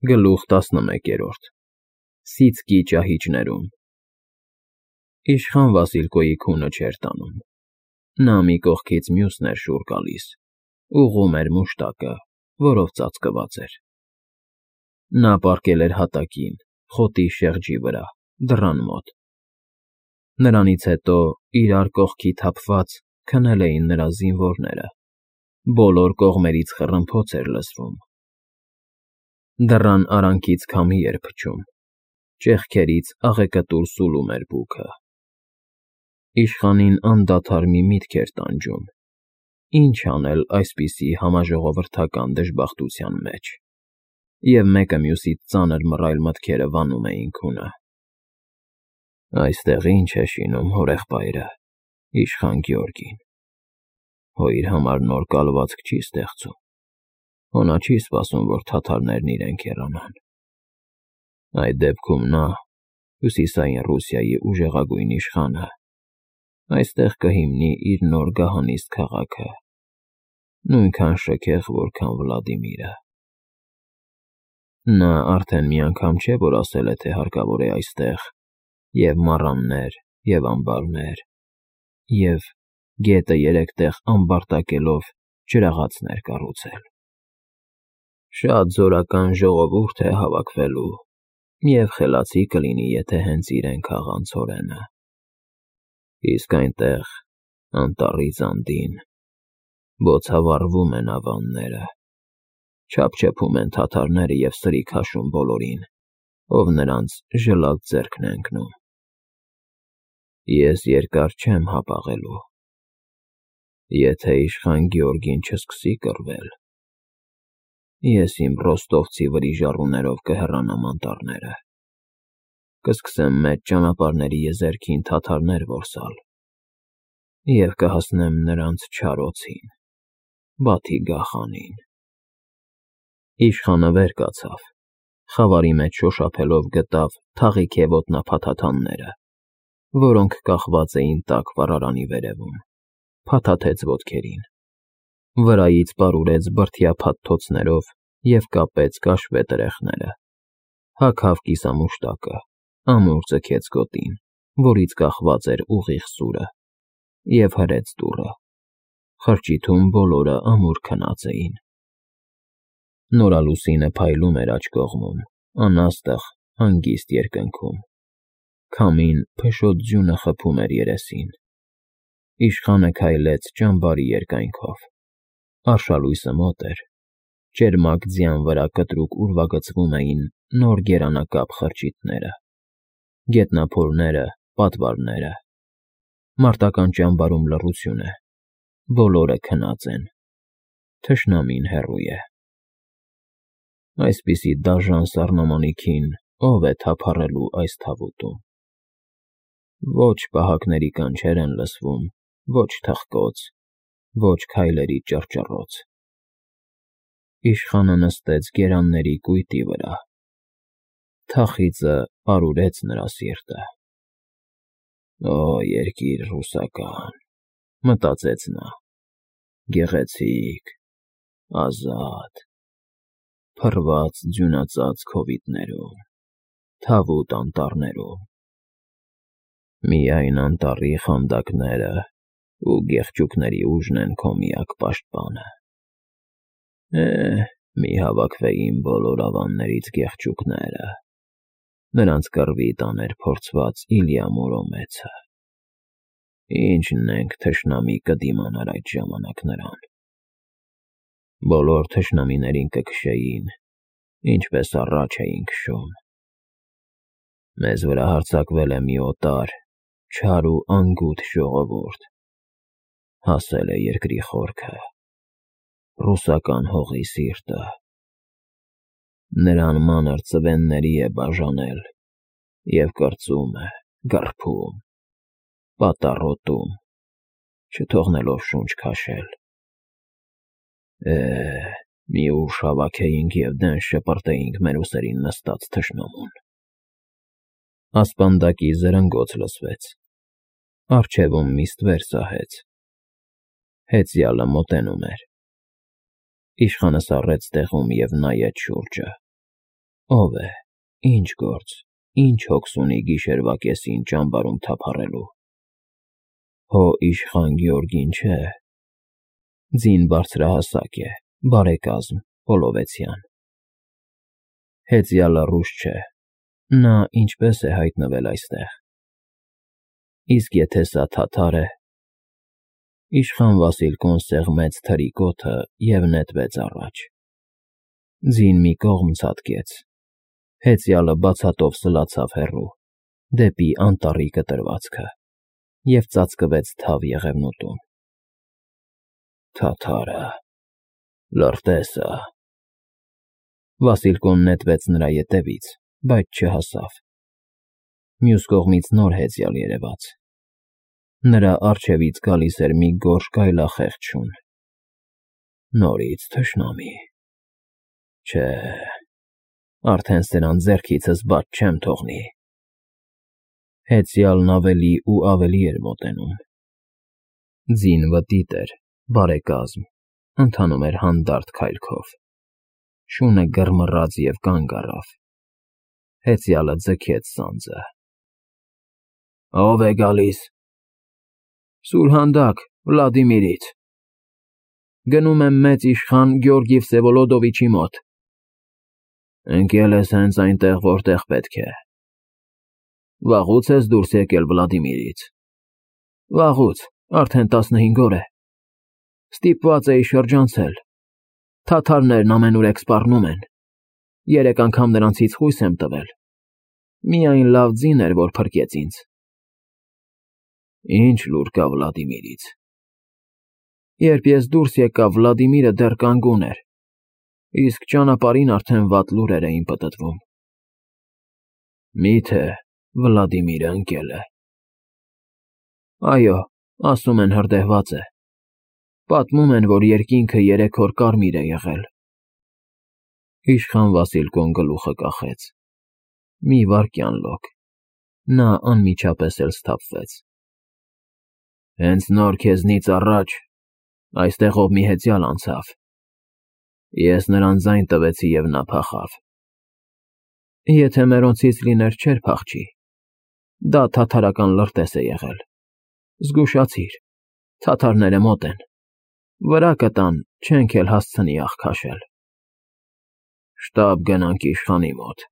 Գլուխ 11 Սիցկի ճահիճներում Իշխան Վասիլկոյի քունը չէր տանում։ Նա մի կողքից մյուսն էր շուռ գալիս, ուղղում էր մուշտակը, որով ծածկված էր։ Նա պառկել էր հատակին, խոտի շեղջի վրա, դռան մոտ։ Նրանից հետո, իրար կողքի թափված, քնել էին նրա զինվորները, բոլոր կողմերից խռմփոց էր լսվում։ Դռան արանքից քամի էր փչում, ճեղքերից աղեկտուր սուլում էր բուքը։ Իշխանին անդադար մի միտք էր տանջում. ինչ անել այսպիսի համաժողովրդական դժբախտության մեջ, և մեկը մյուսից ծանր մռայլ մտքերը վանում էին քունը։ Այստեղ ի՞նչ է շինում հորեղբայրը, իշխան Գյորգին։ Հո իր համար նոր կալվածք չի ստեղծում, հո նա չի սպասում, որ թաթարներն իրեն քեռանան։ Այդ դեպքում նա, Հյուսիսային Ռուսիայի ուժեղագույն իշխանը, այստեղ կհիմնի իր նոր գահանիստ քաղաքը, նույնքան շքեղ, որքան Վլադիմիրը։ Նա արդեն մի անգամ չէ, որ ասել է, թե հարկավոր է այստեղ և մառաններ, և ամբարներ, և գետը 3 տեղ ամբարտակելով ջրաղացներ կառուցել։ Շատ զորական ժողովուրդ է հավաքվելու, և խելացի կլինի, եթե հենց իրեն քաղան ցորենը։ Իսկ այնտեղ, անտառից անդին, բոցավառվում են ավանները, չափչփում են թաթարները և սրի քաշում բոլորին, ով նրանց ժլատ ձեռքն է ընկնում։ Ես երկար չեմ հապաղելու։ Եթե իշխան Գյորգին չսկսի կռվել, ես իմ ռոստովցի վրիժառուներով կհեռանամ անտառները, կսկսեմ մեծ ճանապարհների եզերքին թաթարներ որսալ և կհասնեմ նրանց չար օձին, Բաթի գաղանին։ Իշխանը վեր կացավ, խավարի մեջ շոշափելով գտավ թաղիք և ոտնափաթաթանները, որոնք կախված էին տաք վառարանի վերևում, փաթաթեց ոտքերին, վրայից պարուրեց բրդյա փաթթոցներով և կապեց կաշվե տրեխները, հագավ կիսամուշտակը, ամուր ձգեց գոտին, որից կախված էր ուղիղ սուրը, և հրեց դուռը։ Խրճիթում բոլորը ամուր քնած էին։ Նորալուսինը փայլում էր աջ կողմում, անաստղ, հանգիստ երկնքում։ Քամին փշոտ ձյունը խփում էր երեսին։ Իշխանը քայլեց ճամբարի երկայնքով։ Արշալույսը մոտ էր, ճերմակ ձյան վրա կտրուկ ուրվագծվում էին նոր գերանակապ խրճիթները, գետնափորները, պատվարները։ Մարտական ճամբարում լռություն է, բոլորը քնած են, թշնամին հեռու է։ Այսպիսի դաժան սառնամանիքին ո՞վ է թափառելու այս թավուտում։ Ոչ պահակների կանչեր են լսվում, ոչ թխկոց, ոչ քայլերի ճռճռոց։ Իշխանը նստեց գերանների կույտի վրա։ Թախիծը պարուրեց նրա սիրտը։ Օ, երկիր ռուսական, մտածեց նա, գեղեցիկ, ազատ, փռված ձյունածածկ հովիտներում, թավուտ անտառներում։ Միայն անտառի խանդակները ու գեղչուկների ուժն են քո միակ պաշտպանը։ Մի հավաքվեին բոլոր ավաններից գեղչուկները, նրանց կռվի տաներ փորձված Իլյա Մուրոմեցը։ Ինչն ենք թշնամի կդիմանար այդ ժամանակ նրան։ Բոլոր թշնամիներին կքշեին, ինչպես առաջ էին քշում։ Մեզ վրա հարձակվել է մի օտար, չար ու անգութ ժողովուրդ, հասել է երկրի խորքը, ռուսական հողի սիրտը։ Նրան մանր ծվենների է բաժանել և կրծում է, գռփում, պատառոտում, չթողնելով շունչ քաշել։ Մի ուժ հավաքեինք և դեն շպրտեինք մեր ուսերին նստած թշնամուն։ Ասպանդակի զրնգոց լսվեց։ Առջևում մի ստվեր սահեց։ Հեծյալը մոտենում էր։ Իշխանը սառեց տեղում և նայեց շուրջը։ Ով է, ինչ գործ, ինչ հոգս ունի գիշերվա կեսին ճամբարում թափառելու։ Հո իշխան Գյորգին չէ։ Ձին բարձրահասակ է, բարեկազմ, Պոլովեցյան։ Հեծյալը ռուս չէ, նա ինչպես է հայտնվել այստեղ։ Իսկ եթե սա թաթար է… Իշխան Վասիլկոն սեղմեց թրի կոթը և նետվեց առաջ։ Ձին մի կողմ ցատկեց, հեծյալը բացատով սլացավ հեռու, դեպի անտառի կտրվածքը և ծածկվեց թավ եղևնուտում։ Թաթարը… Լրտեսը… Վասիլկոն նետվեց նրա ետևից, բայց չհասավ։ Մյուս կողմից նոր հեծյալ երևաց։ Նրա առջևից գալիս էր մի գորշ գայլախեղճ շուն։ Նորից թշնամի… Չէ, արդեն սրան ձեռքիցս բաց չեմ թողնի։ Հեծյալն ավելի ու ավելի էր մոտենում։ Ձին վտիտ էր, բարեկազմ, ընթանում էր հանդարտ քայլքով։ Շունը գրմռաց և կանգ առավ։ Հեծյալը ձգեց սանձը։ Ո՞վ է գալիս։ Սուրհանդակ, Վլադիմիրից։ Գնում եմ մեծ իշխան Գյորգի Վսևոլոդովիչի մոտ։ Ընկել ես հենց այնտեղ, որտեղ պետք է։ Վաղուց ես դուրս եկել Վլադիմիրից։ Վաղուց, արդեն 15 օր է։ Ստիպված էի շրջանցել։ Թաթարներն ամենուրեք սպառնում են։ 3 անգամ նրանցից խույս եմ տվել։ Միայն լավ ձին էր, որ փրկեց ինձ։ Ինչ լուր կա Վլադիմիրից։ Երբ ես դուրս եկա, Վլադիմիրը դեռ կանգուն էր, իսկ ճանապարհին արդեն վատ լուրեր էին պտտվում։ Մի՞թե Վլադիմիրը ընկել է։ Այո, ասում են հրդեհված է։ Պատմում են, որ երկինքը 3 օր կարմիր է եղել։ Իշխան Վասիլկոն գլուխը կախեց։ Մի վայրկյան լոկ։ Նա անմիջապես էլ սթափվեց։ Հենց նոր քեզնից առաջ այստեղով մի հեծյալ անցավ։ Ես նրան ձայն տվեցի և նա փախավ։ Եթե մերոնցից լիներ, չէր փախչի։ Դա թաթարական լրտես է եղել։ Զգուշացիր, թաթարները մոտ են։ Վրա կտան, չենք էլ հասցնի աղ քաշել։ Շտապ գնանք իշխանի մոտ։